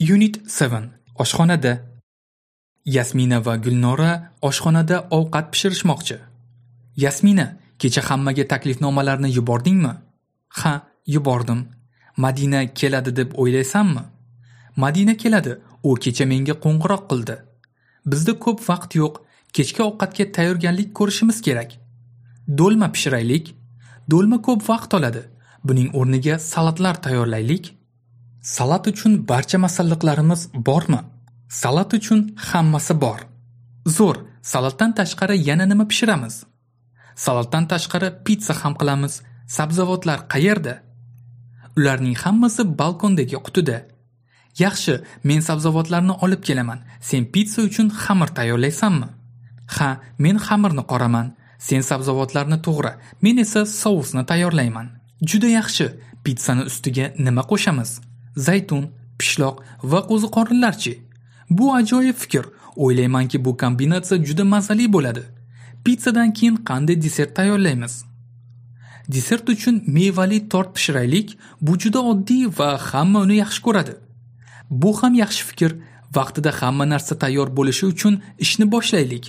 Unit 7. Oshxonada. Yasmina va Gulnora oshxonada ovqat pishirishmoqchi. Yasmina, kecha hammaga taklifnomalarni yubordingmi? Ha, yubordim. Madina keladi deb o'ylaysanmi? Madina keladi. U kecha menga qo'ng'iroq qildi. Bizda ko'p vaqt yo'q. Kechki ovqatga tayyorgarlik ko'rishimiz kerak. Do'lma pishiraylik. Do'lma ko'p vaqt oladi. Buning o'rniga salatlar tayyorlaylik. Salat uchun barcha masalliqlarimiz bormi? Salat uchun hammasi bor. Zo'r, salatdan tashqari yana nima pishiramiz? Salatdan tashqari pitsa ham qilamiz. Sabzavotlar qayerda? Ularning hammasi balkondagi qutida. Yaxshi, men sabzavotlarni olib kelaman. Sen pitsa uchun xamir tayyorlaysanmi? Ha, men xamirni qoraman. Sen sabzavotlarni to'g'ra, men esa sousni tayyorlayman. Juda yaxshi. Pitsani ustiga nima qo'shamiz? Zaytun, pishloq va qo'ziqorinlarchi? Bu ajoyib fikr. O'ylaymanki, bu kombinatsiya juda mazali bo'ladi. Pitsadan keyin qanday desert tayyorlaymiz? Desert uchun mevali tort pishiraylik. Bu juda oddiy va hamma uni yaxshi ko'radi. Bu ham yaxshi fikr. Vaqtida hamma narsa tayyor bo'lishi uchun ishni boshlaylik.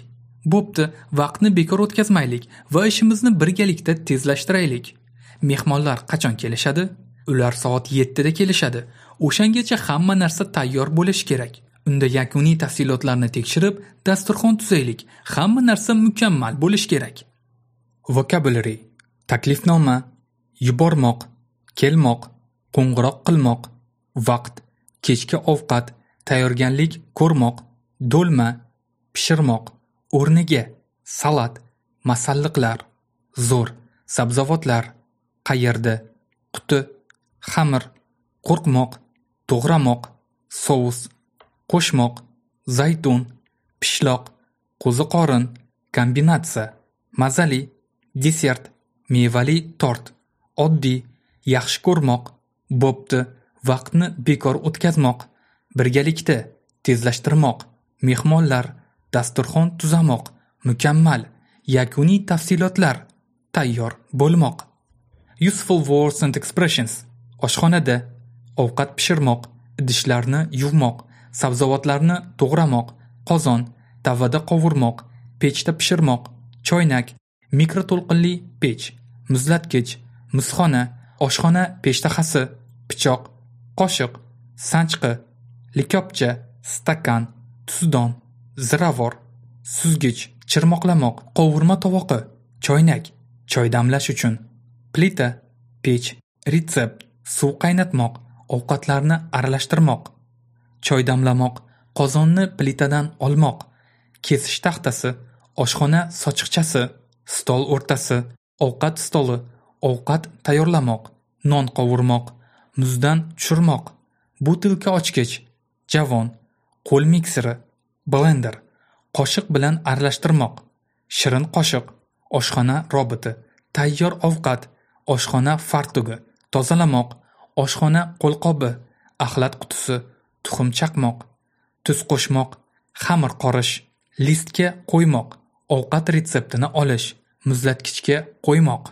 Bo'pti, vaqtni bekor o'tkazmaylik va ishimizni birgalikda tezlashtiraylik. Mehmonlar qachon kelishadi? Ular soat 7 da kelishadi. O'shangacha hamma narsa tayyor bo'lishi kerak. Unda yakuniy tafsilotlarni tekshirib, dasturxon tuzaylik. Hamma narsa mukammal bo'lishi kerak. Vocabulary: taklifnoma, yubormoq, kelmoq, qo'ng'iroq qilmoq, vaqt, kechki ovqat, tayyorgarlik ko'rmoq, do'lma, pishirmoq, o'rniga, salat, masalliqlar, zo'r, sabzavotlar, qayerda, quti, xamir, qo'rqmoq, to'g'ramoq, sous, qo'shmoq, zaytun, pishloq, qo'ziqorin, kombinatsiya, mazali, desert, mevali tort, oddiy, yaxshi ko'rmoq, bo'pti, vaqtni bekor o'tkazmoq, birgalikda, tezlashtirmoq, mehmonlar, dasturxon tuzamoq, mukammal, yakuniy tafsilotlar, tayyor bo'lmoq. Useful words and expressions. Oshxonada, ovqat pishirmoq, idishlarni yuvmoq, sabzavotlarni to'g'ramoq, qozon, tavada qovurmoq, pechda pishirmoq, choynak, mikroto'lqinli pech, muzlatgich, muzxona, oshxona peshtaxasi, pichoq, qoshiq, sanchqi, likopcha, stakan, tuzdon, ziravor, suzgich, chirmoqlamoq, qovurma tovoqi, choynak, choy damlash uchun, plita, pech, retsept, suv qaynatmoq, ovqatlarni aralashtirmoq, choy damlamoq, qozonni plitadan olmoq, kesish taxtasi, oshxona sochiqchasi, stol o'rtasi, ovqat stoli, ovqat tayyorlamoq, non qovurmoq, muzdan tushirmoq, butilka ochgich, javon, qo'l mikseri, blender, qoshiq bilan aralashtirmoq, shirin qoshiq, oshxona roboti, tayyor ovqat, oshxona fartugi, tozalamoq, oshxona qo'lqobi, axlat qutisi, tuxum chaqmoq, tuz qo'shmoq, xamir qorish, listga qo'ymoq, ovqat retseptini olish, muzlatgichga qo'ymoq.